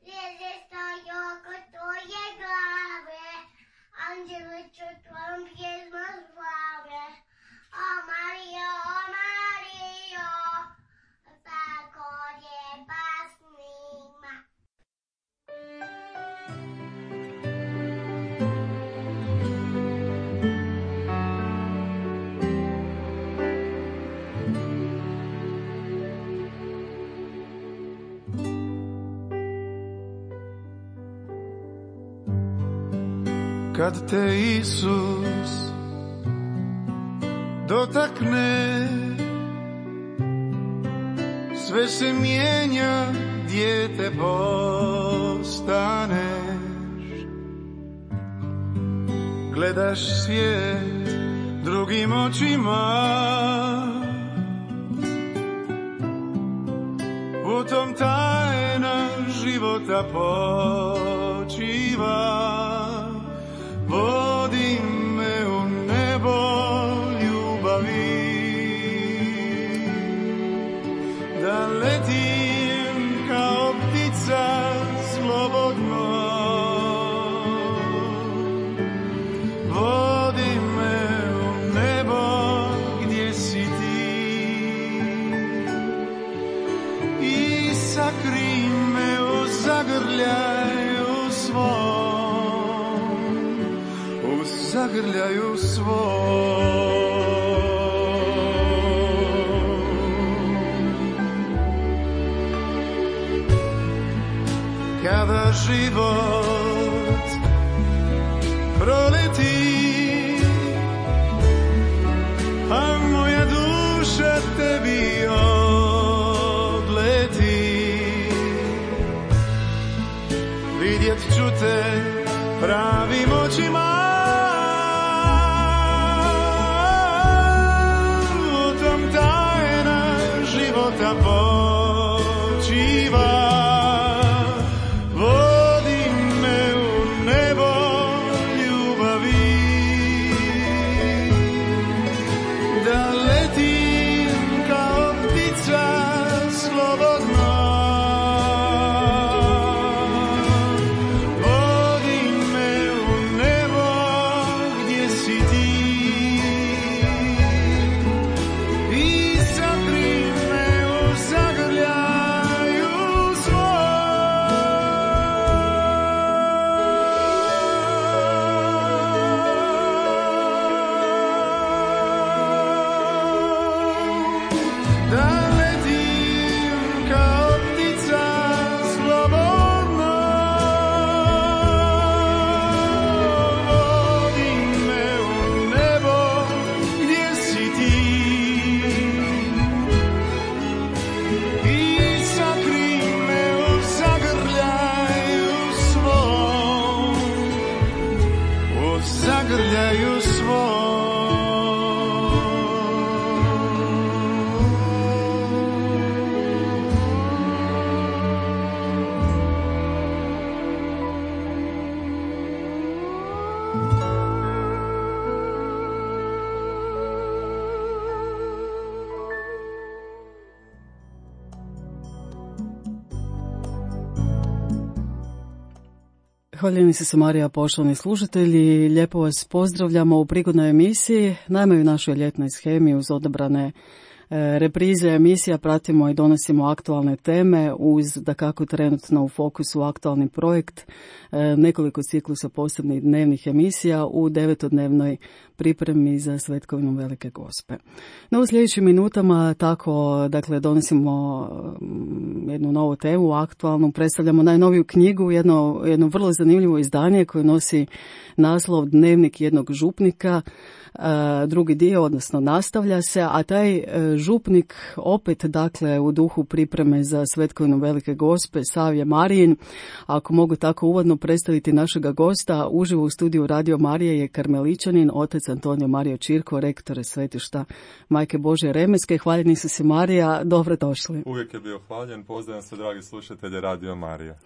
zvijezde stoje oko tvoje glave, anđele će tvojom pjesmom slave. O Marijo, tako lijepa snima. Kad te Isus dotakne, sve se mijenja, dijete postaneš. Gledaš svijet drugim očima, u tom tajna života počiva. Vodi me u nebo ljubavi, da letim kao ptica slobodno. Vodi me u nebo gdje si ti i sakri me u zagrljaju svom. Zagrljaju svoj. Kada život proleti, a moja duša tebi odleti, vidjet ću te pravim očima. Da počiva, vodi me u nebo ljubavi, da letim kao ptica slobodno. Vodi me u nebo gdje si ti i sakri me zagrljaju da letim kao ptica slobodno. Vodi me u nebo gdje si ti i sakri me u zagrljaju svom, u zagrljaju svom. Hvaljeni se Marija, poštovani slušatelji, lijepo vas pozdravljamo u prigodnoj emisiji. Naime, u našoj ljetnoj shemi uz odabrane reprize emisija pratimo i donosimo aktualne teme uz, dakako, trenutno u fokusu aktualni projekt, nekoliko ciklusa posebnih dnevnih emisija u 9-dnevnoj pripremi za Svetkovinu Velike Gospe. No, u sljedećim minutama tako, dakle, donosimo jednu novu temu, aktualnu, predstavljamo najnoviju knjigu, jedno vrlo zanimljivo izdanje koje nosi naslov Dnevnik jednog župnika, drugi dio, odnosno nastavlja se, a taj župnik opet, dakle, u duhu pripreme za Svetkovinu Velike Gospe, Savje Marijin. Ako mogu tako uvodno predstaviti našega gosta, uživo u studiju Radio Marije je karmeličanin, otac Antonio Mario Čirko, rektor svetišta Majke Božje Remeske. Hvaljeni su se Marija, dobrodošli. Uvijek je bio hvaljen, pozdravljam se dragi slušatelji Radio Marija.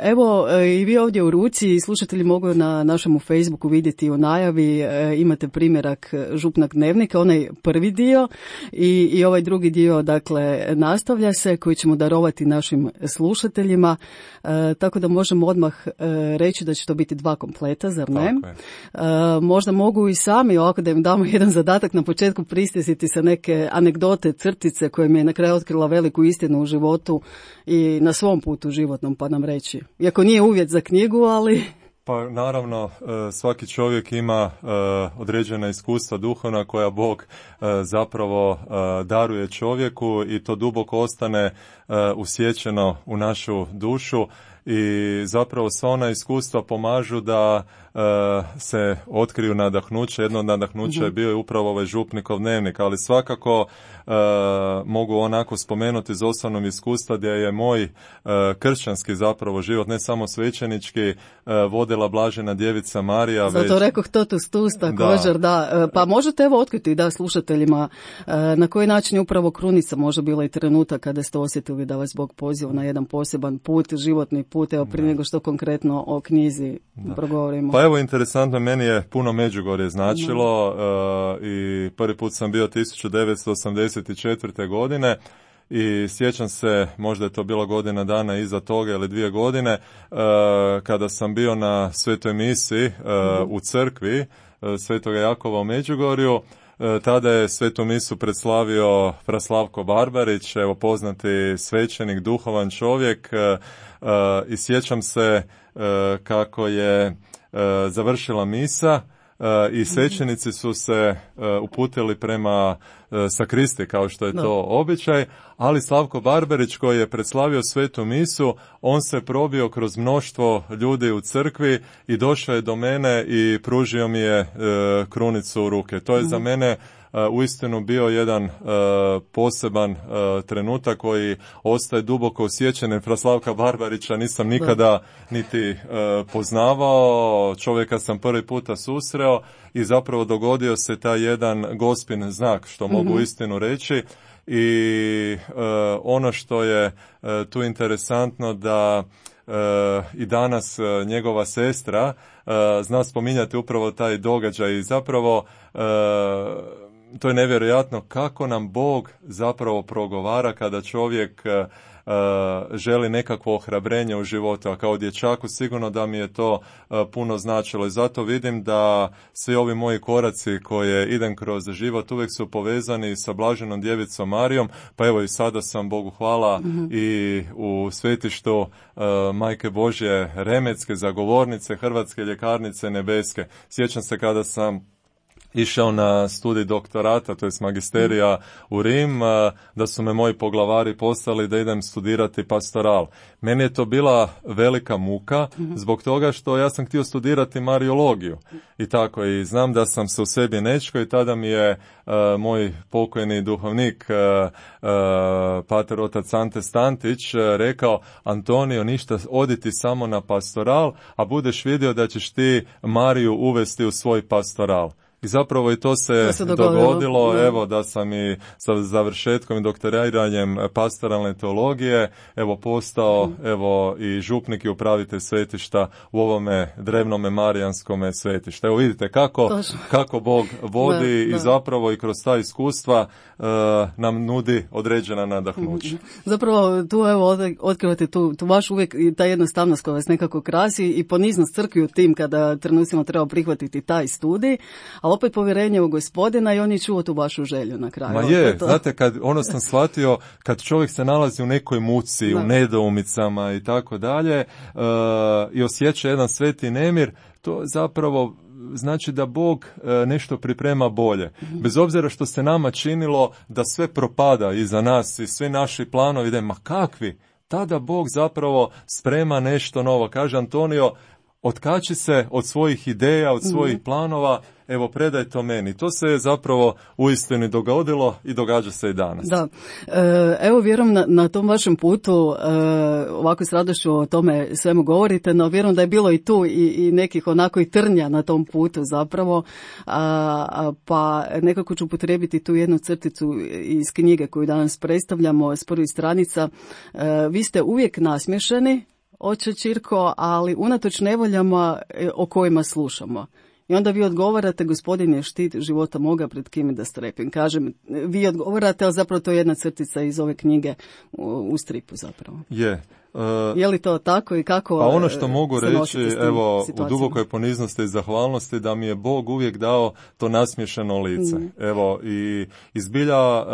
Evo, i vi ovdje u ruci, slušatelji mogu na našemu Facebooku vidjeti u najavi, imate primjerak župnog dnevnika, onaj prvi dio, i ovaj drugi dio, dakle, nastavlja se, koji ćemo darovati našim slušateljima, tako da možemo odmah reći da će to biti 2 kompleta, zar ne? Možda mogu i sami, ovako da im damo jedan zadatak na početku, prisjetiti sa neke anegdote, crtice koje mi je na kraju otkrila veliku istinu u životu i na svom putu životnom, pa nam reći. Iako nije uvjet za knjigu, ali... Pa naravno, svaki čovjek ima određena iskustva duhovna koja Bog zapravo daruje čovjeku i to duboko ostane usjećeno u našu dušu i zapravo sva ona iskustva pomažu da se otkriju nadahnuće. Jedno od nadahnuća je bio upravo ovaj župnikov dnevnik, ali svakako mogu onako spomenuti iz osobnog iskustva gdje je moj kršćanski zapravo život, ne samo svećenički, vodila blažena djevica Marija. Zato rekoh totus tus također, da. Pa možete evo otkriti slušateljima na koji način je upravo krunica možda bila i trenutak kada ste osjetili da vas Bog poziva na jedan poseban put, životni put, evo prije nego što konkretno o knjizi progovorimo. Pa evo, interesantno, meni je puno Međugorje značilo i prvi put sam bio 1984. godine i sjećam se, možda je to bilo godina dana iza toga ili 2 godine, kada sam bio na svetoj misi u crkvi Svetoga Jakova u Međugorju. Tada je svetu misu predslavio Fraslavko Barbarić, evo poznati svećenik, duhovan čovjek, i sjećam se kako je završila misa i svećenici su se uputili prema sakristi, kao što je to običaj, ali Slavko Barbarić, koji je predslavio svetu misu, on se probio kroz mnoštvo ljudi u crkvi i došao je do mene i pružio mi je krunicu u ruke. To je za mene uistinu bio jedan poseban trenutak koji ostaje duboko osjećen. Fraslavka Barbarića nisam nikada niti poznavao, čovjeka sam prvi puta susreo i zapravo dogodio se taj jedan gospin znak, što mogu istinu reći. I ono što je tu interesantno da i danas njegova sestra zna spominjati upravo taj događaj i zapravo to je nevjerojatno kako nam Bog zapravo progovara kada čovjek želi nekakvo ohrabrenje u životu, a kao dječaku sigurno da mi je to puno značilo i zato vidim da svi ovi moji koraci koje idem kroz život uvijek su povezani sa blaženom djevicom Marijom, pa evo i sada sam, Bogu hvala, i u svetištu Majke Božje Remetske, zagovornice Hrvatske ljekarnice nebeske. Sjećam se kada sam išao na studij doktorata, to je magisterija u Rim, da su me moji poglavari poslali da idem studirati pastoral. Meni je to bila velika muka zbog toga što ja sam htio studirati mariologiju i tako, i znam da sam se u sebi nečko i tada mi je moj pokojni duhovnik pater otac Ante Stantić rekao: Antonio, ništa, odi ti samo na pastoral, a budeš vidio da ćeš ti Mariju uvesti u svoj pastoral. I zapravo i to se dogodilo, evo da sam i sa završetkom i doktoriranjem pastoralne teologije evo postao evo i župnik i upravitelj svetišta u ovome drevnome marijanskome svetištu. Evo vidite kako Bog vodi i zapravo i kroz ta iskustva nam nudi određena nadahnuća. Zapravo tu evo otkrivate tu vaš uvijek ta jednostavnost koja vas nekako krasi i poniznost crkvi u tim kada trenucima treba prihvatiti taj studij, ali opet povjerenje u Gospodina i on je čuo tu vašu želju na kraju. Ma je, znate, sam shvatio, kad čovjek se nalazi u nekoj muci, u nedoumicama i tako dalje, i osjeća jedan sveti nemir, to zapravo znači da Bog nešto priprema bolje. Bez obzira što se nama činilo da sve propada iza nas i svi naši planovi, da ma kakvi, tada Bog zapravo sprema nešto novo. Kaže Antonio, otkači se od svojih ideja, od svojih planova, evo predaj to meni. To se je zapravo uistinu dogodilo i događa se i danas. Da, evo vjerujem na tom vašem putu, ovako s radošću o tome svemu govorite, no vjerujem da je bilo i tu i nekih onako i trnja na tom putu zapravo, pa nekako ću upotrijebiti tu jednu crticu iz knjige koju danas predstavljamo s prvih stranica. Vi ste uvijek nasmiješeni, oče Čirko, ali unatoč nevoljama o kojima slušamo. I onda vi odgovarate, gospodin je štit života moga, pred kime da strepim. Kažem, vi odgovarate, ali zapravo to je jedna crtica iz ove knjige u stripu zapravo. Je. Je li to tako i kako? Pa ono što mogu reći, evo, situacijama? u dubokoj poniznosti i zahvalnosti, da mi je Bog uvijek dao to nasmiješeno lice. Evo, i zbilja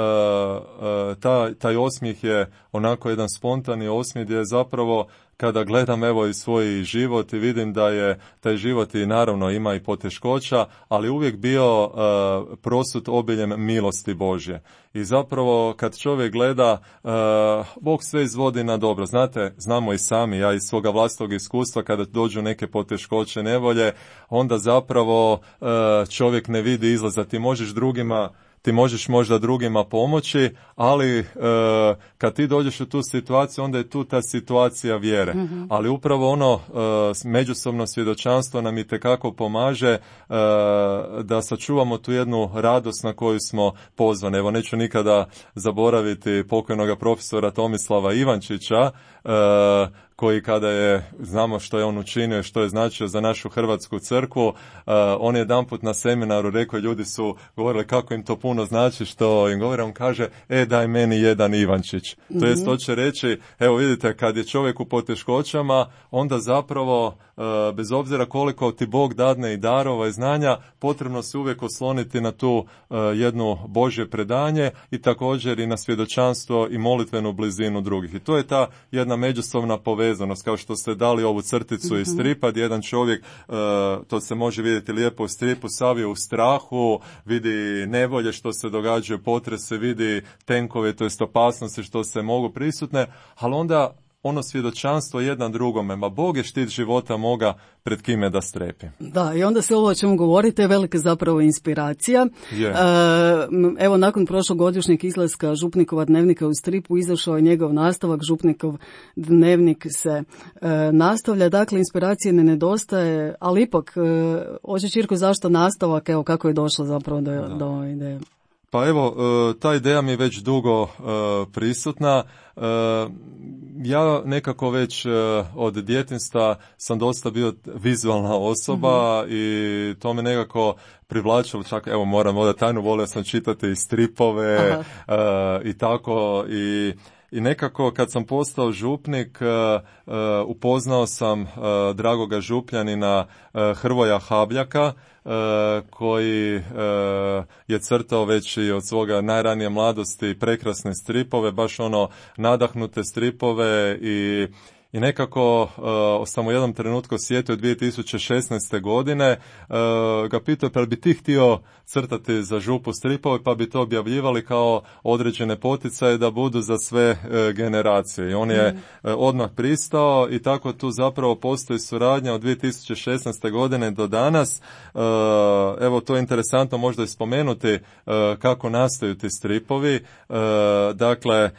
taj osmijeh je onako jedan spontani osmijeh gdje je zapravo, kada gledam evo i svoj život i vidim da je taj život i naravno ima i poteškoća, ali uvijek bio prosut obiljem milosti Božje. I zapravo kad čovjek gleda, Bog sve izvodi na dobro. Znate, znamo i sami, ja iz svoga vlastnog iskustva, kada dođu neke poteškoće, nevolje, onda zapravo čovjek ne vidi izlaza. Ti možeš možda drugima pomoći, ali kad ti dođeš u tu situaciju, onda je tu ta situacija vjere. Ali upravo ono međusobno svjedočanstvo nam itekako pomaže da sačuvamo tu jednu radost na koju smo pozvani. Evo, neću nikada zaboraviti pokojnoga profesora Tomislava Ivančića, koji kada je, znamo što je on učinio i što je značio za našu Hrvatsku crkvu, on je jedanput na seminaru rekao, ljudi su govorili kako im to puno znači što im govore, on kaže, daj meni jedan Ivančić. To jest, to će reći, evo vidite, kad je čovjek u poteškoćama, onda zapravo, bez obzira koliko ti Bog dadne i darova i znanja, potrebno se uvijek osloniti na tu jednu Božje predanje i također i na svjedočanstvo i molitvenu blizinu drugih. I to je ta jedna međusobna povezanost, kao što ste dali ovu crticu iz stripa, gdje jedan čovjek, to se može vidjeti lijepo u stripu, sav je u strahu, vidi nevolje što se događaju, potrese, vidi tenkove, to jest opasnosti što se mogu prisutne, ali onda ono svjedočanstvo jedan drugome, ma Bog je štit života moga, pred kime da strepi. Da, i onda se ovo o čemu govorite je velika zapravo inspiracija. Evo, nakon prošlogodišnjeg izlaska Župnikova dnevnika u stripu izašao je njegov nastavak, Župnikov dnevnik se nastavlja. Dakle, inspiracije ne nedostaje, ali ipak, oče Čirko, zašto nastavak, evo kako je došlo zapravo do ove ideje? Pa evo, ta ideja mi je već dugo prisutna. Ja nekako već od djetinjstva sam dosta bio vizualna osoba i to me nekako privlačilo, čak evo moram odati tajnu, volio sam čitati i stripove i tako i nekako kad sam postao župnik upoznao sam dragoga župljanina Hrvoja Habljaka, koji je crtao već i od svoga najranije mladosti prekrasne stripove, baš ono nadahnute stripove i nekako sam u jednom trenutku sjetio 2016. godine, ga pitao pa bi ti htio crtati za župu stripove, pa bi to objavljivali kao određene poticaje da budu za sve generacije. I on je odmah pristao i tako tu zapravo postoji suradnja od 2016. godine do danas. Evo, to je interesantno možda i spomenuti kako nastaju ti stripovi. Dakle,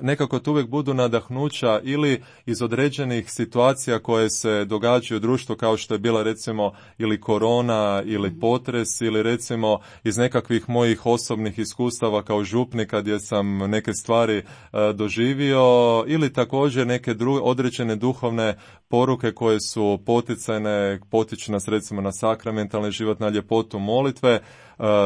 nekako tu uvijek budu nadahnuća ili iz određenih situacija koje se događaju u društvu, kao što je bila recimo ili korona ili potres, ili recimo iz nekakvih mojih osobnih iskustava kao župnika gdje sam neke stvari doživio, ili također neke određene duhovne poruke koje su poticajne, potiču nas recimo na sakramentalni život, na ljepotu molitve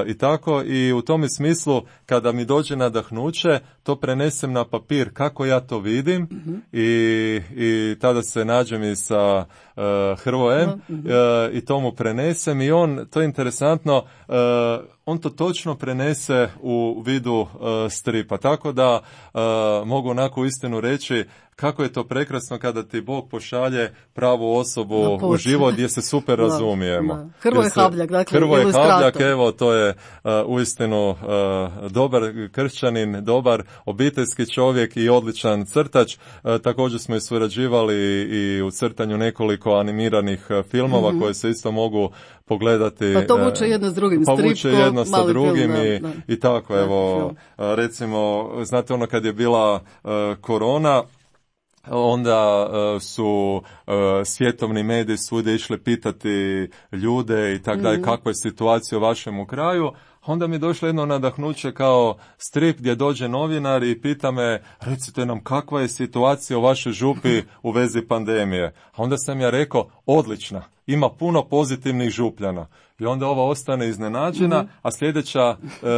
i tako. I u tome smislu kada mi dođe nadahnuće, to prenesem na papir kako ja to vidim i tada se nađem i sa Hrvojem i to mu prenesem i on, to je interesantno, on to točno prenese u vidu stripa. Tako da mogu onako istinu reći kako je to prekrasno kada ti Bog pošalje pravu osobu u život gdje se super razumijemo. Hrvoje Habljak, dakle Hrvoje Habljak, evo, to je uistinu dobar kršćanin, dobar obiteljski čovjek i odličan crtač. Također smo i surađivali i u crtanju nekoliko animiranih filmova koje se isto mogu pogledati. Pa to vuče jedno s drugim, pa vuče jedno sa drugim film, i tako, evo, recimo, znate ono kad je bila korona, onda su svjetovni mediji svugdje išli pitati ljude i tako dalje, kakva je situacija u vašem kraju, Onda mi je došlo jedno nadahnuće kao strip gdje dođe novinar i pita me, recite nam kakva je situacija u vašoj župi u vezi pandemije. A onda sam ja rekao, odlična, ima puno pozitivnih župljana. I onda ova ostane iznenađena, a sljedeća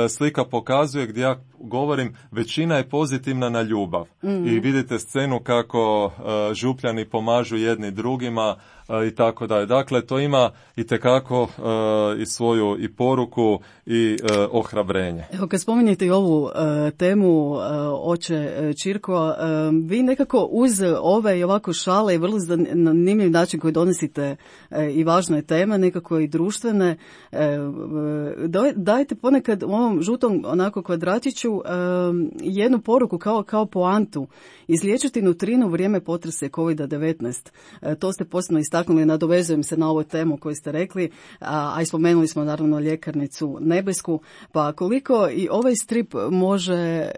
slika pokazuje gdje ja govorim, većina je pozitivna na ljubav. I vidite scenu kako župljani pomažu jedni drugima i tako dalje. Dakle, to ima itekako i svoju i poruku i ohrabrenje. Evo, kad spominjete i ovu temu oče Čirko, vi nekako uz ove i ovako šale i vrlo zanimljiv način koji donosite i važne teme, nekako i društvene, dajte ponekad u ovom žutom onako kvadratiću jednu poruku kao poantu. Izliječiti nutrinu u vrijeme potrese COVID-19. To ste posebno istaknuli, nadovezujem se na ovu temu koju ste rekli, a i spomenuli smo naravno ljekarnicu Nebesku. Pa koliko i ovaj strip može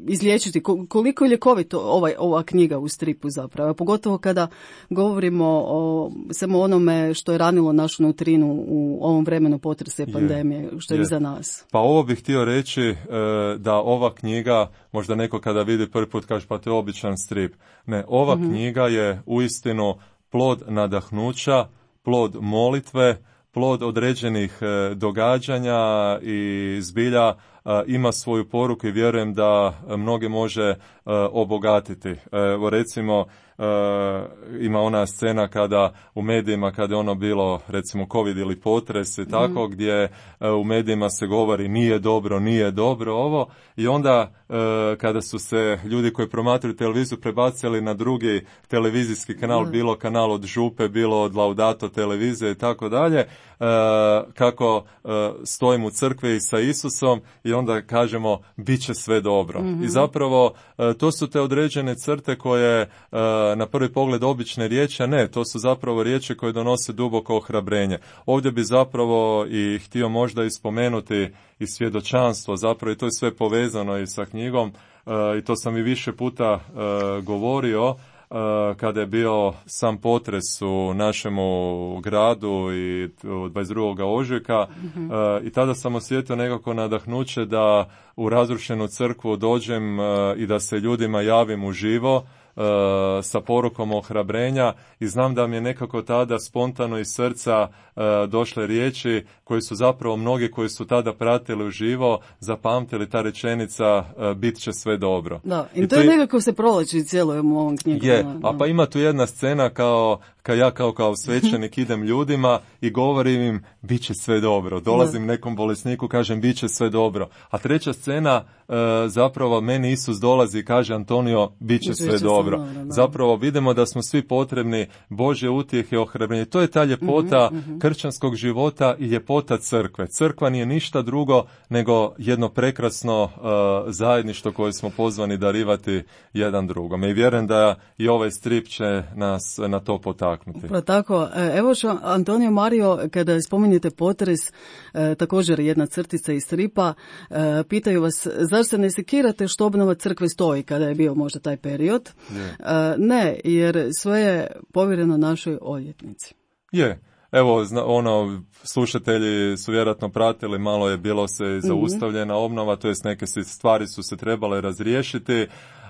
izliječiti, koliko je ljekovito ova knjiga u stripu zapravo, pogotovo kada govorimo o samo onome što je ranilo našu nutrinu u ovom vremenu potrese pandemije, što je iza nas. Pa ovo bih htio reći da ova knjiga, možda neko kada vidi prvi put kaže pa to je običan strip. Ne, ova knjiga je uistinu plod nadahnuća, plod molitve, plod određenih događanja i zbilja ima svoju poruku i vjerujem da mnoge može obogatiti. Evo recimo ima ona scena kada u medijima, kada je ono bilo recimo COVID ili potres i tako, gdje u medijima se govori nije dobro ovo, i onda kada su se ljudi koji promatraju televiziju prebacili na drugi televizijski kanal, bilo kanal od Župe, bilo od Laudato televizije i tako dalje, kako stojim u crkvi i sa Isusom i onda kažemo bit će sve dobro. I zapravo to su te određene crte koje na prvi pogled obične riječi, a ne, to su zapravo riječi koje donose duboko ohrabrenje. Ovdje bi zapravo i htio možda i spomenuti i svjedočanstvo, zapravo i to je sve povezano i sa knjigom, i to sam i više puta govorio, kada je bio sam potres u našemu gradu i 22. ožujka, i tada sam osjetio nekako nadahnuće da u razrušenu crkvu dođem i da se ljudima javim uživo sa porukom ohrabrenja, i znam da mi je nekako tada spontano iz srca došle riječi koje su zapravo mnogi koji su tada pratili uživo zapamtili, ta rečenica bit će sve dobro. Da, i to je nekako se provlači cijelo u ovom knjigu. Je, a pa ima tu jedna scena kao svećenik idem ljudima i govorim im bit će sve dobro. Dolazim nekom bolesniku, kažem bit će sve dobro. A treća scena, zapravo meni Isus dolazi i kaže Antonio bit će sve dobro. Zapravo vidimo da smo svi potrebni Božje utjehe i ohrabrenje. To je ta ljepota kršćanskog života i ljepota crkve. Crkva nije ništa drugo nego jedno prekrasno zajedništvo koje smo pozvani darivati jedan drugom. I vjerujem da i ovaj strip će nas na to potaknuti. Pa tako, evo što Antonio Mario, kada spominjete potres, također jedna crtica iz stripa, pitaju vas, zar se ne sekirate što obnova crkve stoji kada je bio možda taj period? Ne, jer sve je povjereno našoj odvjetnici. Je. Evo, slušatelji su vjerojatno pratili, malo je bilo se zaustavljena obnova, to jest neke stvari su se trebale razriješiti,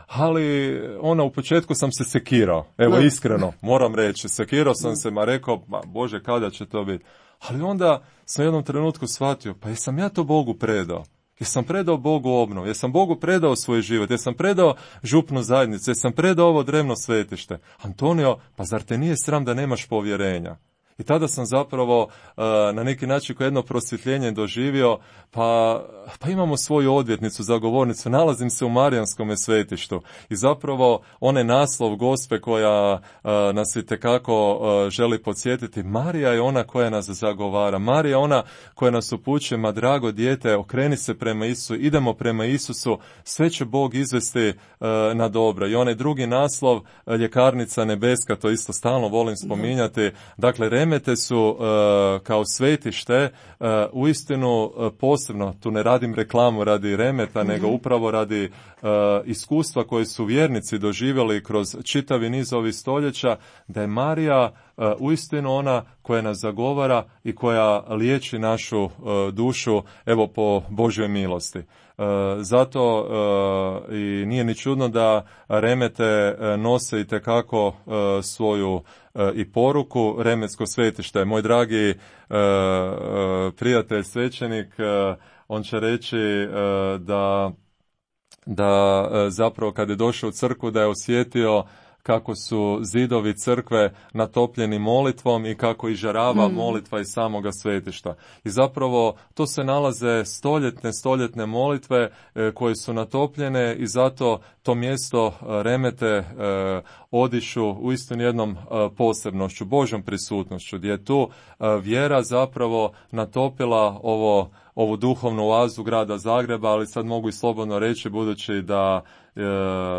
ali u početku sam se sekirao. Evo, iskreno, moram reći, sekirao sam se, rekao, Bože, kada će to biti? Ali onda sam u jednom trenutku shvatio, pa jesam ja to Bogu predao? Jesam predao Bogu obnovu, jesam Bogu predao svoj život, jesam predao župnu zajednicu, jesam predao ovo drevno svetište. Antonio, pa zar te nije sram da nemaš povjerenja? I tada sam zapravo na neki način kao jedno prosvjetljenje doživio, pa imamo svoju odvjetnicu, zagovornicu, nalazim se u Marijanskome svetištu i zapravo onaj naslov Gospe koja nas itekako želi podsjetiti, Marija je ona koja nas zagovara, Marija je ona koja nas upućuje, ma drago dijete, okreni se prema Isusu, idemo prema Isusu, sve će Bog izvesti na dobro. I onaj drugi naslov, Ljekarnica Nebeska, to isto stalno volim spominjati, dakle Remete su kao svetište uistinu posebno, tu ne radim reklamu radi Remeta, nego upravo radi iskustva koje su vjernici doživjeli kroz čitavi niz ovih stoljeća, da je Marija uistinu ona koja nas zagovara i koja liječi našu dušu, evo, po Božjoj milosti. Zato i nije ni čudno da Remete nose itekako svoju i poruku. Remetsko svetište. Moj dragi prijatelj svećenik, on će reći da zapravo kad je došao u crkvu da je osjetio kako su zidovi crkve natopljeni molitvom i kako izžarava molitva iz samoga svetišta. I zapravo to se nalaze stoljetne molitve koje su natopljene i zato to mjesto Remete odišu uistinu jednom posebnošću, Božjom prisutnošću, gdje je tu vjera zapravo natopila ovu duhovnu oazu grada Zagreba, ali sad mogu i slobodno reći, budući da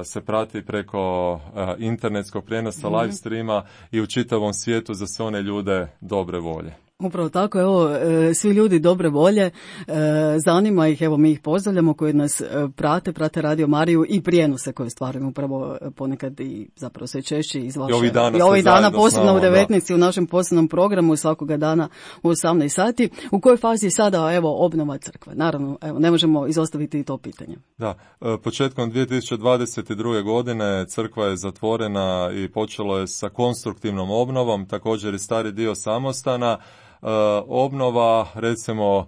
se prati preko internetskog prijenosa live streama i u čitavom svijetu za sve one ljude dobre volje. Upravo tako, evo, svi ljudi dobre volje, zanima ih, evo mi ih pozdravljamo koji nas prate Radio Mariju i prijenose koje stvaramo upravo ponekad i zapravo sve češće iz vaše. I ovih dana posebno u 19 u našem posebnom programu svakoga dana u 18 sati. U kojoj fazi je sada, evo, obnova crkve? Naravno, evo, ne možemo izostaviti i to pitanje. Da, početkom 2022. godine crkva je zatvorena i počelo je sa konstruktivnom obnovom, također i stari dio samostana. Obnova, recimo,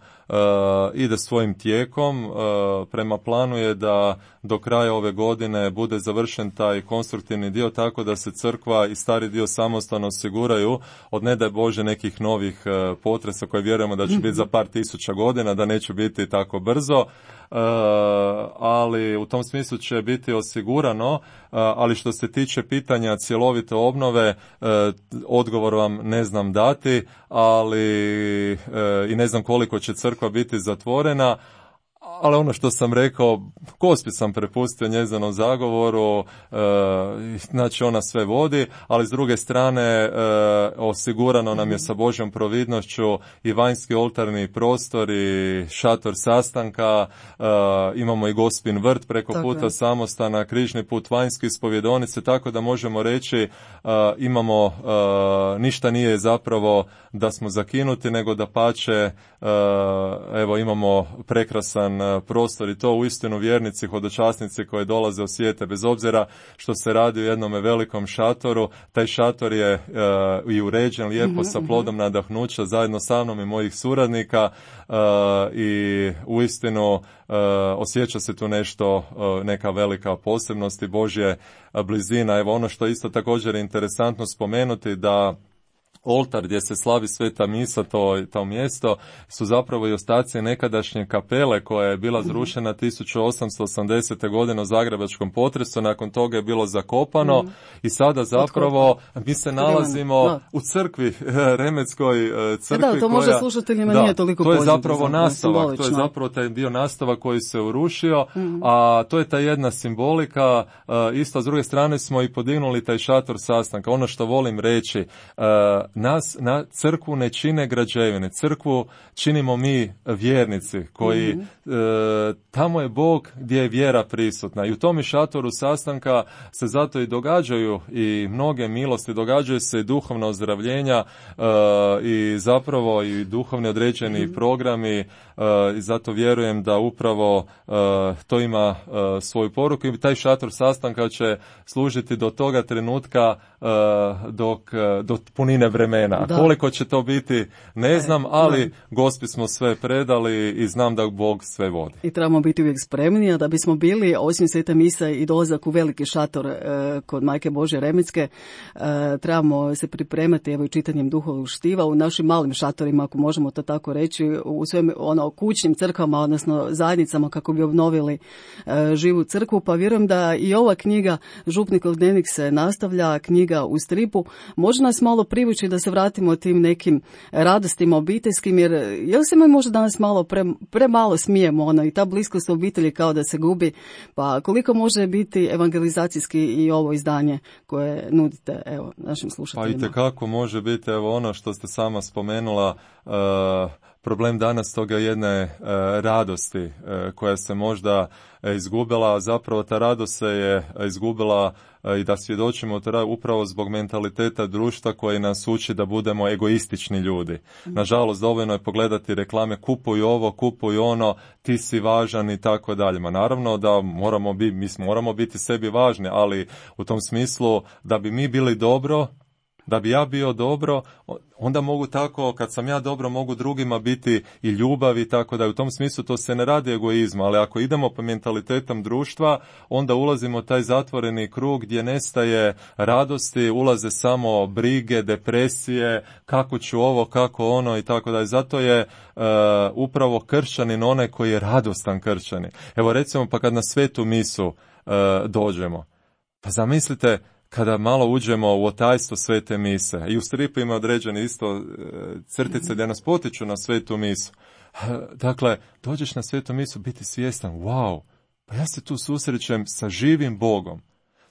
ide svojim tijekom. Prema planu je da do kraja ove godine bude završen taj konstruktivni dio, tako da se crkva i stari dio samostana osiguraju od, ne daj Bože, nekih novih potresa koje vjerujemo da će biti za par tisuća godina, da neće biti tako brzo. Ali u tom smislu će biti osigurano, ali što se tiče pitanja cjelovite obnove, odgovor vam ne znam dati, ali i ne znam koliko će crkva biti zatvorena, ali ono što sam rekao, Gospi sam prepustio njezinom zagovoru, znači ona sve vodi, ali s druge strane osigurano nam je sa Božjom providnošću i vanjski oltarni prostor i šator sastanka, imamo i Gospin vrt preko puta samostana, križni put vanjski, ispovjedonice, tako da možemo reći imamo, ništa nije zapravo da smo zakinuti, nego da pače, evo imamo prekrasan prostor i to uistinu vjernici, hodočasnici koji dolaze osjete, bez obzira što se radi o jednom velikom šatoru, taj šator je i uređen lijepo sa plodom nadahnuća zajedno sa mnom i mojih suradnika i uistinu osjeća se tu nešto, neka velika posebnost i Božje blizina. Evo ono što isto također je interesantno spomenuti, da oltar gdje se slavi sveta misa, to mjesto, su zapravo i ostaci nekadašnje kapele koja je bila zrušena 1880. godine u zagrebačkom potresu, nakon toga je bilo zakopano i sada zapravo mi se nalazimo u crkvi, Remetskoj crkvi. Da, to možda slušateljima nije toliko poznato. To je zapravo nastavak, to je zapravo taj dio nastava koji se urušio, a to je ta jedna simbolika, isto s druge strane smo i podignuli taj šator sastanka. Ono što volim reći, nas na crkvu ne čine građevine, crkvu činimo mi vjernici koji tamo je Bog gdje je vjera prisutna i u tom šatoru sastanka se zato i događaju i mnoge milosti, događaju se i duhovna ozdravljenja i zapravo i duhovni određeni programi i zato vjerujem da upravo to ima svoju poruku i taj šator sastanka će služiti do toga trenutka do punine vremena. Da. Koliko će to biti, ne znam, ali Gospi smo sve predali i znam da Bog sve vodi. I trebamo biti uvijek spremni, a da bismo bili, osim sveta misa i dolazak u veliki šator kod Majke Božje Remetske, trebamo se pripremati evo i čitanjem duhovnog štiva u našim malim šatorima, ako možemo to tako reći, u svojim kućnim crkvama, odnosno zajednicama kako bi obnovili živu crkvu. Pa vjerujem da i ova knjiga Župnikov dnevnik se nastavlja, knjiga u stripu, može nas malo privući da se vratimo tim nekim radostima obiteljskim, jer jel se mi možda danas malo premalo smijemo, i ta bliskost obitelji kao da se gubi, pa koliko može biti evangelizacijski i ovo izdanje koje nudite, evo, našim slušateljima? Pa itekako može biti, evo ono što ste sama spomenula, problem danas toga jedne radosti koja se možda izgubila, a zapravo ta radost se je izgubila i da svjedočimo upravo zbog mentaliteta društva koji nas uči da budemo egoistični ljudi. Nažalost, dovoljno je pogledati reklame, kupuj ovo, kupuj ono, ti si važan i tako dalje. Ma naravno da moramo biti sebi važni, ali u tom smislu da bi mi bili dobro, da bi ja bio dobro, onda mogu tako, kad sam ja dobro, mogu drugima biti i ljubav i tako da u tom smislu to se ne radi egoizma, ali ako idemo po mentalitetom društva, onda ulazimo u taj zatvoreni krug gdje nestaje radosti, ulaze samo brige, depresije, kako ću ovo, kako ono i tako da. Zato je upravo kršćanin onaj koji je radostan kršćanin. Evo recimo pa kad na svetu misu dođemo, pa zamislite kada malo uđemo u otajstvo svete mise, i u stripu ima određene isto crtice gdje nas potiču na svetu misu. Dakle, dođeš na svetu misu, biti svjestan, wow, pa ja se tu susrećem sa živim Bogom.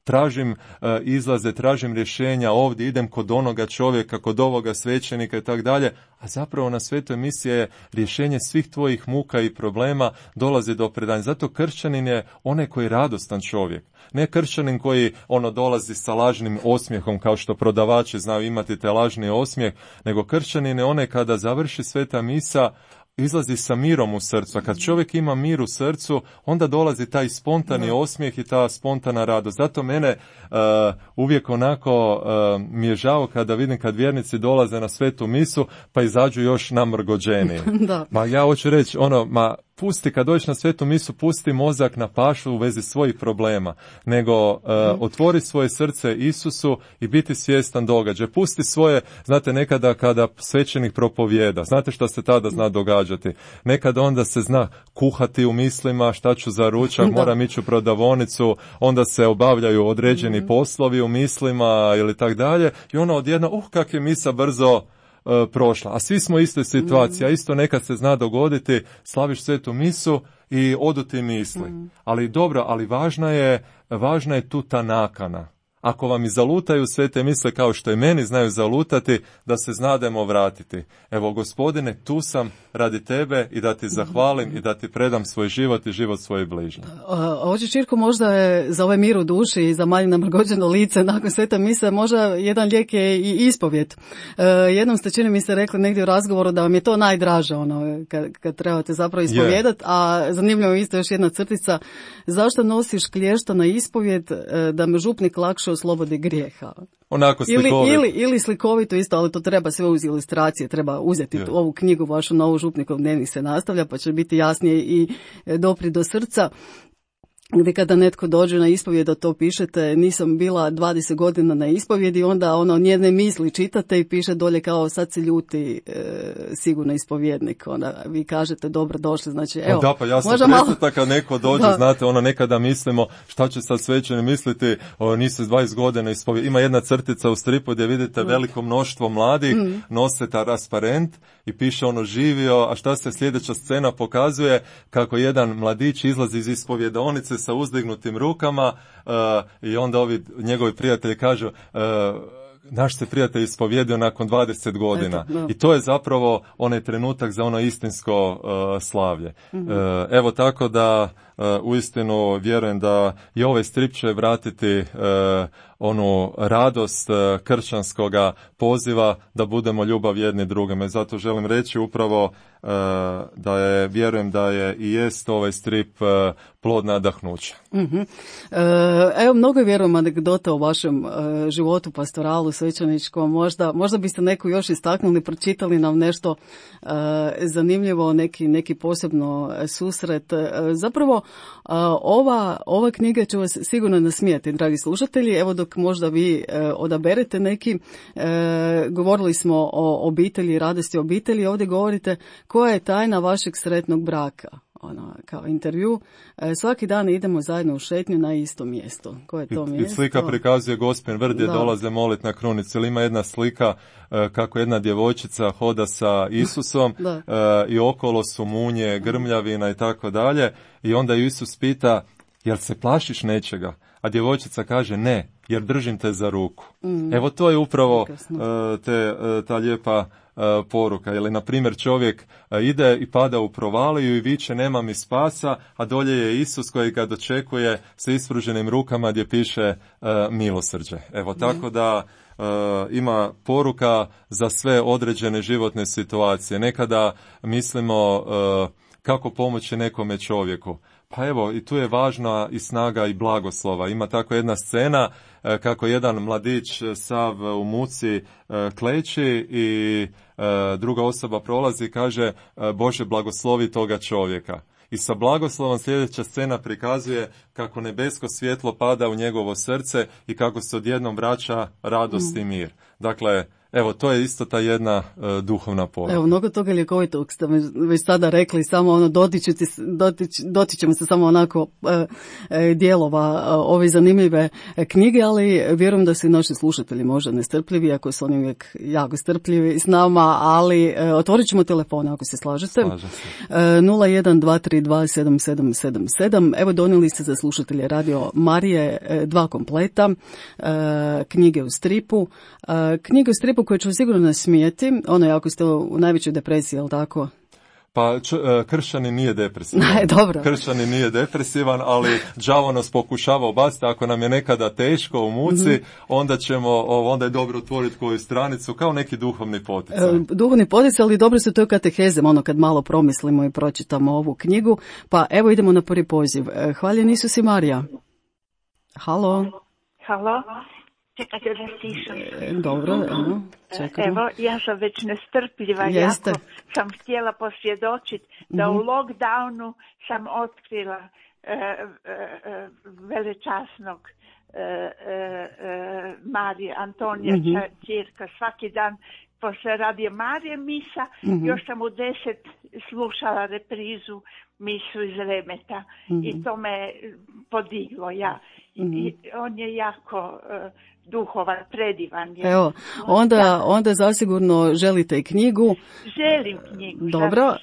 Tražim izlaze, tražim rješenja, ovdje idem kod onoga čovjeka, kod ovoga svećenika i tako dalje, a zapravo na svetoj misiji je rješenje svih tvojih muka i problema, dolazi do predanja. Zato kršćanin je onaj koji je radostan čovjek. Ne kršćanin koji dolazi sa lažnim osmijehom, kao što prodavači znaju imati te lažni osmijeh, nego kršćanin je onaj kada završi sveta misa, izlazi sa mirom u srcu. A kad čovjek ima mir u srcu, onda dolazi taj spontani osmijeh i ta spontana radost. Zato mene uvijek onako mi je žao kada vidim kad vjernici dolaze na svetu misu, pa izađu još namrgođeniji. Ma ja hoću reći, pusti, kad dođeš na svetu misu, pusti mozak na pašu u vezi svojih problema, nego otvori svoje srce Isusu i biti svjestan događaja. Pusti svoje, znate, nekada kada svećenik propovijeda, znate što se tada zna događati. Nekada onda se zna kuhati u mislima, šta ću za ručak, moram ići u prodavonicu, onda se obavljaju određeni poslovi u mislima ili tak dalje, i odjedno, kak je misa brzo prošla. A svi smo u istoj situaciji, a isto nekad se zna dogoditi, slaviš svetu misu i odu ti misli. Ali dobro, ali važna je tu ta nakana. Ako vam i zalutaju sve te misle kao što i meni znaju zalutati, da se znademo vratiti. Evo, Gospodine, tu sam radi tebe i da ti zahvalim i da ti predam svoj život i život svojih bližnjih. Oče Čirko, možda je za ovaj mir u duši i za manje namrgođeno lice nakon sveta mise, možda jedan lijek je i ispovjed. Jednom ste, čini mi se, rekli negdje u razgovoru da vam je to najdraže, kad trebate zapravo ispovjedati, a zanimljivo je isto još jedna crtica, zašto nosiš klješta na ispovjed, da me župnik lakše oslobodi grijeha. Onako slikovito. Ili slikovito isto, ali to treba sve uz ilustracije, treba uzeti ovu knjigu vašu novu Župnikov dnevnik se nastavlja, pa će biti jasnije i dopri do srca. Gdje kada netko dođe na ispovjed da to pišete, nisam bila 20 godina na ispovjedi, onda njene misli čitate i piše dolje kao sad se ljuti sigurno ispovjednik. Onda vi kažete dobro došli, znači evo. Da, pa ja sam presretan kad neko dođe, znate, nekada mislimo šta će sad svećeni misliti, nisi 20 godina ispovjed. Ima jedna crtica u stripu gdje vidite veliko mnoštvo mladih, nose transparent i piše živio, a šta se sljedeća scena pokazuje, kako jedan mladić izlazi iz ispovjedaonice sa uzdignutim rukama i onda ovi njegovi prijatelji kažu naš se prijatelj ispovjedio nakon 20 godina. I to je zapravo onaj trenutak za istinsko slavlje. Evo, tako da uistinu vjerujem da i ovaj strip će vratiti onu radost kršćanskoga poziva da budemo ljubav jedni drugima. Zato želim reći upravo vjerujem da je i jest ovaj strip plod nadahnuća. Evo, mnogo vjerujem anegdota o vašem životu pastoralu svećeničkom. Možda biste neku još istaknuli, pročitali nam nešto zanimljivo, neki posebno susret. Zapravo, ova knjiga će vas sigurno nasmijati, dragi slušatelji. Evo, dok možda vi odaberete neki, govorili smo o obitelji, radosti obitelji, ovdje govorite koja je tajna vašeg sretnog braka. kao intervju. Svaki dan idemo zajedno u šetnju na isto mjesto. Koje je to mjesto? I slika prikazuje Gospin Vrt gdje dolaze moliti na krunicu. Ili ima jedna slika kako jedna djevojčica hoda sa Isusom i okolo su munje, grmljavina i tako dalje. I onda Isus pita, jel se plašiš nečega? A djevojčica kaže ne, jer držim te za ruku. Evo to je upravo ta lijepa poruka. Ili, na primjer, čovjek ide i pada u provaliju i viče nema mi spasa, a dolje je Isus koji ga dočekuje sa ispruženim rukama gdje piše milosrđe. Evo, tako da ima poruka za sve određene životne situacije. Nekada mislimo kako pomoći nekome čovjeku. Pa evo, i tu je važna i snaga i blagoslova. Ima tako jedna scena kako jedan mladić sav u muci kleči i druga osoba prolazi i kaže Bože blagoslovi toga čovjeka. I sa blagoslovom sljedeća scena prikazuje kako nebesko svjetlo pada u njegovo srce i kako se odjednom vraća radost i mir. Dakle, evo, to je isto ta jedna duhovna poruka. Evo, mnogo toga ljekovitog ste već sada rekli, samo dotičemo se samo onako dijelova ove zanimljive knjige, ali vjerujem da su i naši slušatelji možda nestrpljivi, ako su oni uvijek jako strpljivi s nama, ali otvorit ćemo telefone ako se slažete. 01-232-7777. Evo, donijeli ste za slušatelje Radio Marije 2 kompleta, knjige u stripu. Knjige u stripu koje ću sigurno nasmijeti, ako ste u najvećoj depresiji, je li tako? Pa kršćanin nije depresivan. Dobro. Kršćanin nije depresivan, ali đavo nas pokušava obaciti. Ako nam je nekada teško u muci, onda je dobro otvoriti koju stranicu, kao neki duhovni poticaj. Duhovni poticaj, ali dobro se to je katehezem, kad malo promislimo i pročitamo ovu knjigu. Pa evo idemo na prvi poziv. Hvaljen Isus i Marija. Halo. Halo. Čekajte da stišam. Dobro, čekamo. Evo, ja sam već nestrpljiva. Jeste. Jako sam htjela posvjedočiti da u lockdownu sam otkrila velečasnog Marije Antonija Ćirka. Svaki dan posle Radio Marije misa, još sam u 10 slušala reprizu misu iz Remeta i to me podiglo. I on je jako duhovan, predivan. Evo, onda zasigurno želite i knjigu. Želim knjigu. Dobro,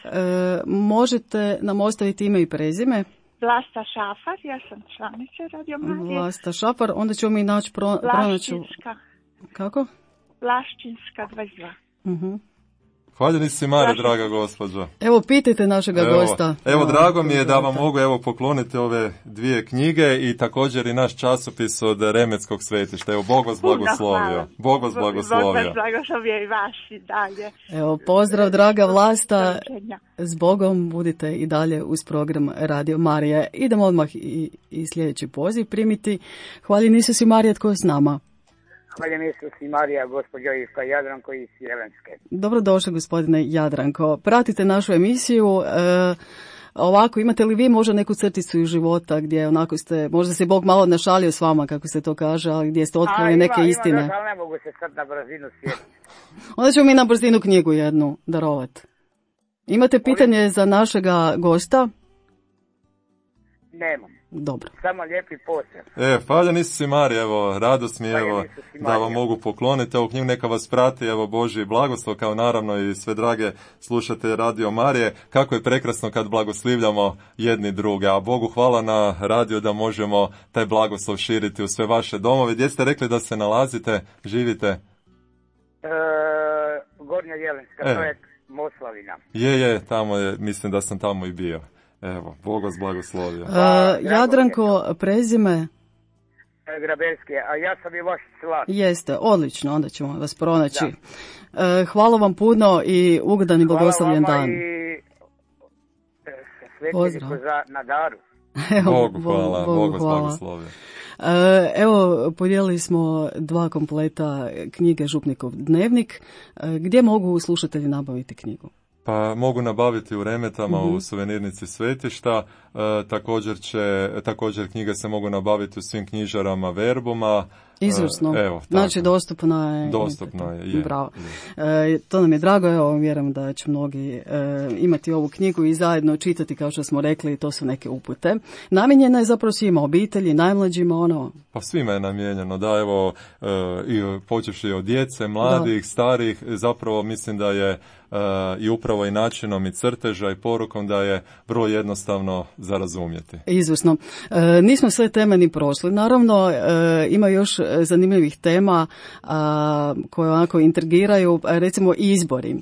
možete nam ostaviti ime i prezime? Vlasta Šafar, ja sam članica Radio Marije. Vlasta Šafar, onda ćemo mi naći pronaći. Laščinska. Kako? Laščinska 22. Hvaljeni si Marija, draga gospođo. Evo, pitajte našega gosta. Evo, drago mi je da vam mogu pokloniti ove 2 knjige i također i naš časopis od Remetskog svetišta. Evo, Bog vas blagoslovio. Bog vas blagoslovio. Bog vas blagoslovio i vas i dalje. Evo, pozdrav, draga Vlasta. S Bogom, budite i dalje uz program Radio Marije. Idemo odmah i sljedeći poziv primiti. Hvaljen Isus i Marija, tko je s nama? Hvaljen Isus i Marija, gospođo Ivka Jadranko iz Jelenske. Dobrodošli, gospodine Jadranko. Pratite našu emisiju. Ovako, imate li vi možda neku crticu iz života gdje možda se Bog malo našalio s vama, kako se to kaže, ali gdje ste otkrili neke istine? Ima, ali ne mogu se sad na brzinu sjetiti. Onda ćemo mi na brzinu knjigu jednu darovati. Imate pitanje za našega gosta? Nemam. Dobro. Samo lijepi pozdrav. Hvaljen Isus i Marija, evo, radost mi da vam mogu pokloniti ovu knjigu, neka vas prati, evo, Božji blagoslov, kao naravno i sve drage slušate Radio Marije, kako je prekrasno kad blagoslivljamo jedni druge, a Bogu hvala na radiju da možemo taj blagoslov širiti u sve vaše domove. Gdje ste rekli da se nalazite, živite? Gornja Jelenska, to je Moslavina. Je, tamo je, mislim da sam tamo i bio. Evo, Bog vas blagoslovio. Jadranko, prezime? Grabelski, a ja sam i vaš član. Jeste, odlično, onda ćemo vas pronaći. Hvala vam puno i ugodan i blagoslovljen dan. Hvala vama i svetljeniku na daru. Bogu hvala, Bog vas blagoslovio. Evo, podijelili smo 2 kompleta knjige Župnikov dnevnik. Gdje mogu slušatelji nabaviti knjigu? Pa mogu nabaviti u Remetama, u suvenirnici svetišta, također knjige se mogu nabaviti u svim knjižarama Verbuma, Izvrsno. Evo, znači dostupno je. Dostupno je. Bravo. To nam je drago, evo, vjerujem da će mnogi imati ovu knjigu i zajedno čitati, kao što smo rekli, to su neke upute. Namijenjena je zapravo svima, obitelji, najmlađima, ono. Pa svima je namijenjeno, da, evo, i počevši od djece, mladih, starih, zapravo mislim da je i upravo i načinom i crteža i porukom da je vrlo jednostavno za razumjeti. Izvrsno. Nismo sve teme ni prošli. Naravno, ima još zanimljivih tema koje onako intrigiraju, recimo izbori.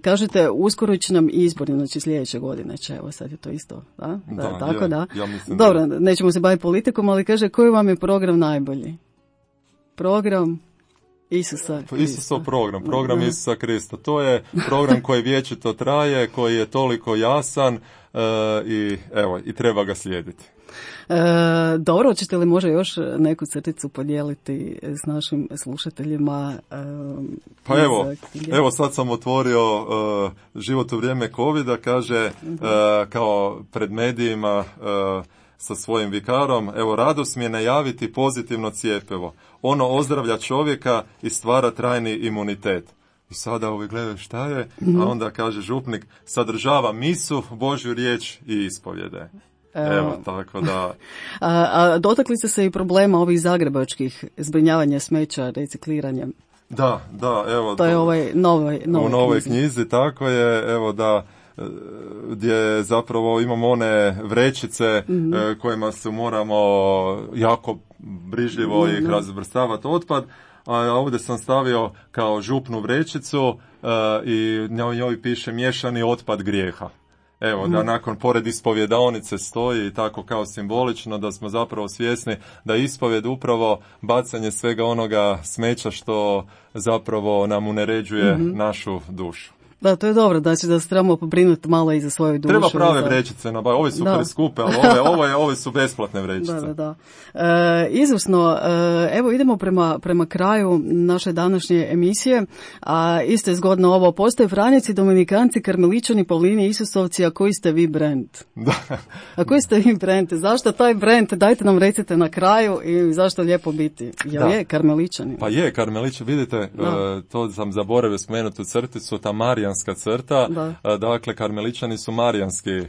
Kažete, uskoro će nam izbori, znači sljedeće godine će, evo sad je to isto, da? Tako da. Ja mislim dobro, nećemo se baviti politikom, ali kaže, koji vam je program najbolji? Program Isusa Krista. Isusov program Isusa Krista. To je program koji vječito traje, koji je toliko jasan i treba ga slijediti. Dobro, hoćete li možda još neku crticu podijeliti s našim slušateljima? Pa evo sad sam otvorio Život u vrijeme covida, kaže kao pred medijima sa svojim vikarom, evo, radost mi je najaviti pozitivno cjepivo. Ono ozdravlja čovjeka i stvara trajni imunitet. I sada ovi gledaju šta je, a onda kaže župnik, sadržava misu, Božju riječ i ispovjede. Evo, tako da. A dotakli ste se i problema ovih zagrebačkih zbrinjavanja smeća, recikliranjem? Da, evo. To je u novoj knjizi, tako je, evo da, gdje zapravo imamo one vrećice kojima se moramo jako brižljivo ih razvrstavati otpad, a ovdje sam stavio kao župnu vrećicu i njoj piše miješani otpad grijeha. Evo, da nakon pored ispovjedaonice stoji i tako kao simbolično da smo zapravo svjesni da ispovjed upravo bacanje svega onoga smeća što zapravo nam uneređuje našu dušu. Da, to je dobro, znači da se trebamo pobrinuti malo i za svoju dušu. Treba prave vrećice, ove su preskupe, ali ove su besplatne vrećice. Da. Izvrsno, evo idemo prema kraju naše današnje emisije, a isto je zgodno ovo, postoje Franjevci, Dominikanci, Karmeličani, Pavlini, Isusovci, a koji ste vi brand? Da. A koji ste vi brand? Zašto taj brand? Dajte nam recite na kraju i zašto lijepo biti? Je Karmeličani? Pa je, Karmeličani, vidite, to sam zaboravio spomenuti u crticu, ta marijanska crta, dakle Karmeličani su marijanski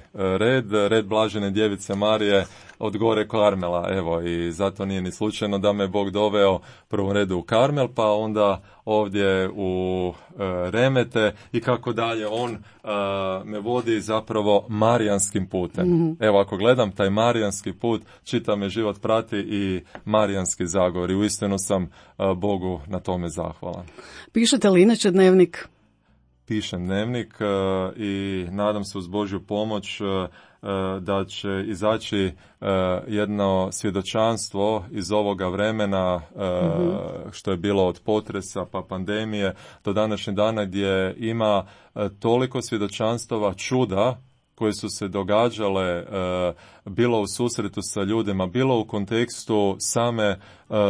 red Blažene djevice Marije od gore Karmela, evo, i zato nije ni slučajno da me Bog doveo prvom redu u Karmel, pa onda ovdje u Remete i kako dalje, on me vodi zapravo marijanskim putem. Evo, ako gledam taj marijanski put, čita me život prati i marijanski zagovor i uistinu sam Bogu na tome zahvalan. Pišete li inače dnevnik? Pišem dnevnik i nadam se uz Božju pomoć da će izaći jedno svjedočanstvo iz ovoga vremena što je bilo od potresa pa pandemije do današnjeg dana, gdje ima toliko svjedočanstava čuda koje su se događale bilo u susretu sa ljudima, bilo u kontekstu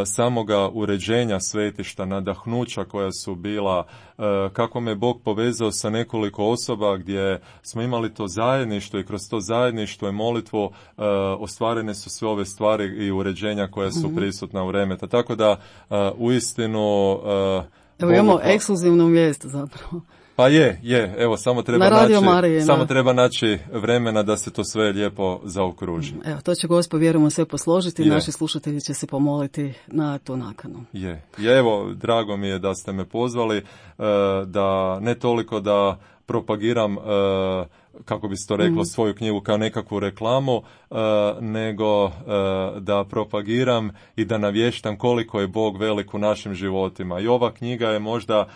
samoga uređenja svetišta, nadahnuća koja su bila, kako me Bog povezao sa nekoliko osoba gdje smo imali to zajedništvo i kroz to zajedništvo i molitvu ostvarene su sve ove stvari i uređenja koja su prisutna u Remeta. Tako da uistinu evo imamo ekskluzivnu vijest zapravo. Pa je, evo, samo treba naći vremena da se to sve lijepo zaokruži. Evo, to će Gospod, vjerujemo, sve posložiti, naši slušatelji će se pomoliti na tu nakanu. Evo, drago mi je da ste me pozvali, da ne toliko da propagiram, kako bi se to reklo, svoju knjigu kao nekakvu reklamu, nego da propagiram i da navještam koliko je Bog velik u našim životima. I ova knjiga je možda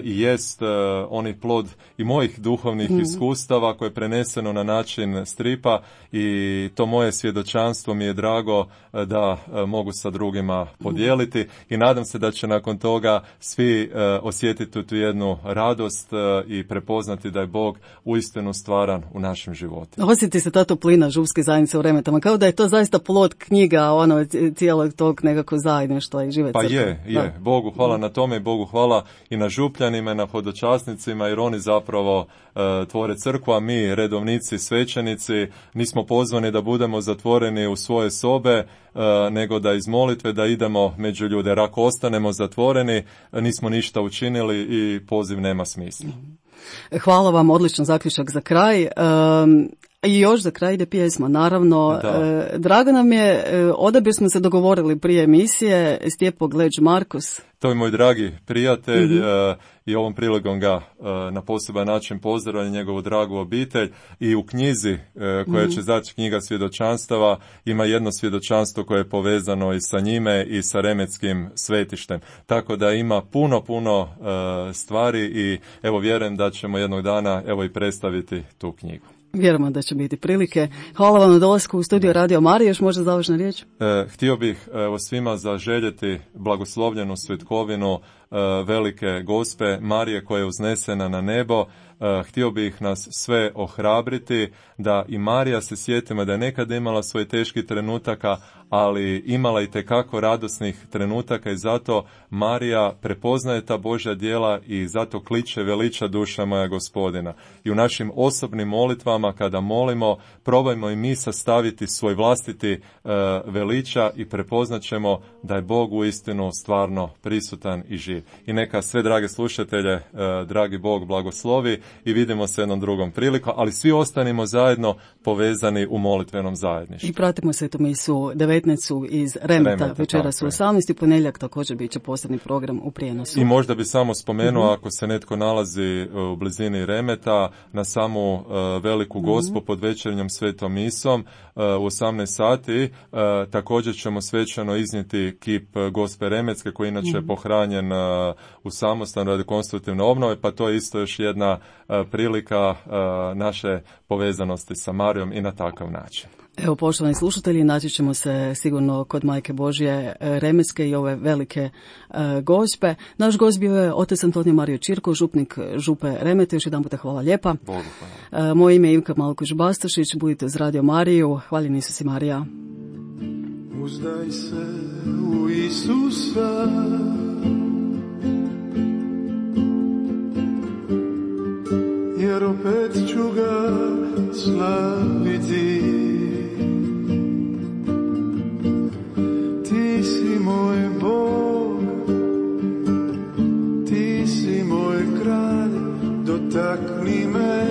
i jest onaj plod i mojih duhovnih iskustava koje je preneseno na način stripa i to moje svjedočanstvo mi je drago da mogu sa drugima podijeliti i nadam se da će nakon toga svi osjetiti tu jednu radost i prepoznati prepoznati da je Bog uistinu stvaran u našim životima. Osjeti se ta toplina župske zajednice u Remetama, kao da je to zaista plod knjiga cijelog tog nekako zajedništva i žive crkve. Pa je. Bogu hvala na tome i Bogu hvala i na župljanima i na hodočasnicima, jer oni zapravo tvore crkvu, a mi, redovnici, svećenici, nismo pozvani da budemo zatvoreni u svoje sobe, nego da iz molitve da idemo među ljude. Jer ako ostanemo zatvoreni, nismo ništa učinili i poziv nema smisla. Hvala vam, odličan zaključak za kraj. I još za kraj ide pjesma, naravno. Drago nam je, odabir smo se dogovorili prije emisije, Stjepo Gleđ Markus. To je moj dragi prijatelj i ovom priligom ga na poseban način pozdravljam, njegovu dragu obitelj, i u knjizi koja će zaći, knjiga svjedočanstava, ima jedno svjedočanstvo koje je povezano i sa njime i sa Remetskim svetištem. Tako da ima puno stvari i evo vjerujem da ćemo jednog dana evo i predstaviti tu knjigu. Vjerujemo da će biti prilike. Hvala vam na dolasku u studio Radio Marije. Još možda završna riječ? Htio bih svima zaželjeti blagoslovljenu svetkovinu velike Gospe Marije koja je uznesena na nebo. Htio bih nas sve ohrabriti da i Marija se sjetimo da je nekada imala svoj teški trenutaka, ali imala i tekako radosnih trenutaka i zato Marija prepoznaje ta Božja djela i zato kliče veliča duša moja Gospodina. I u našim osobnim molitvama kada molimo, probajmo i mi sastaviti svoj vlastiti veliča i prepoznat ćemo da je Bog uistinu stvarno prisutan i živ. I neka sve drage slušatelje, dragi Bog blagoslovi i vidimo se jednom drugom prilikom, ali svi ostanimo zajedno povezani u molitvenom zajedništvu. I pratimo svetu misu 19 iz Remeta, večeras u 18. ponedjeljak također bit će posebni program u prijenosu. I možda bi samo spomenuo, ako se netko nalazi u blizini Remeta, na samu veliku Gospu pod večernjom svetom misom u 18 sati, također ćemo svečano iznijeti kip Gospe Remetske koji inače je pohranjen u samostanu radi konstruktivne obnove, pa to je isto još jedna prilika naše povezanosti sa Marijom i na takav način. Evo, poštovani slušatelji, naći ćemo se sigurno kod Majke Božje Remetske i ove velike Gospe. Naš gost bio je otac Antonio Mario Čirko, župnik župe Remete. Još jedan puta hvala lijepa. Bogu hvala. Moje ime je Ivka Malković-Bastašić, budite uz Radio Mariju. Hvaljeni Isus i Marija. Uzdaj se u Isusa, jer opet ću ga slaviti. Ti si moj Bog, ti si moj kralj, dotakni me,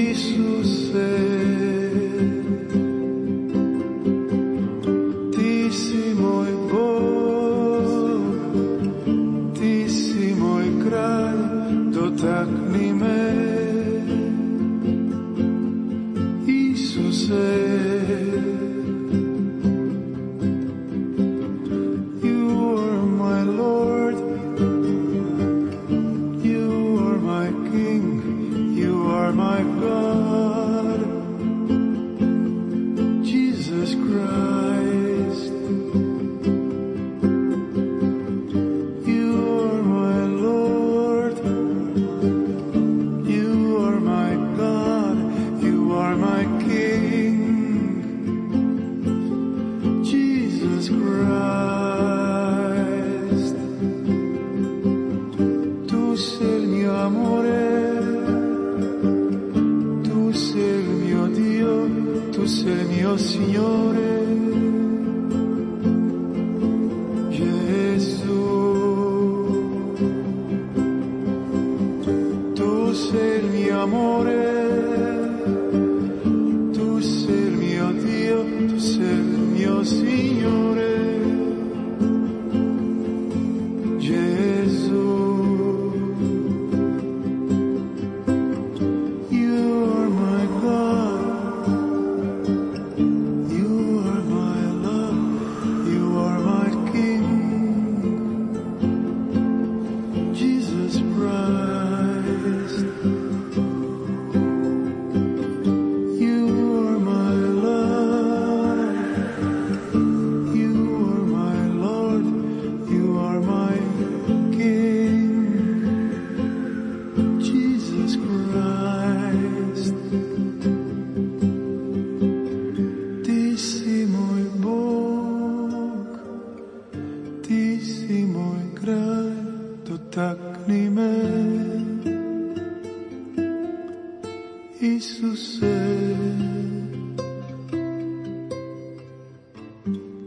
Isuse. Ti si moj Bog, ti si moj kralj, dotakni me, Isuse. You si moj kraj, dotakni me. Isuse,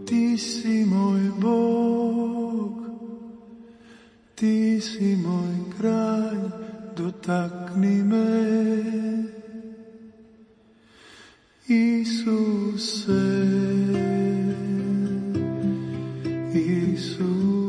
ti si moj Bog, ti si moj kraj, dotakni me. Isuse, Isuse.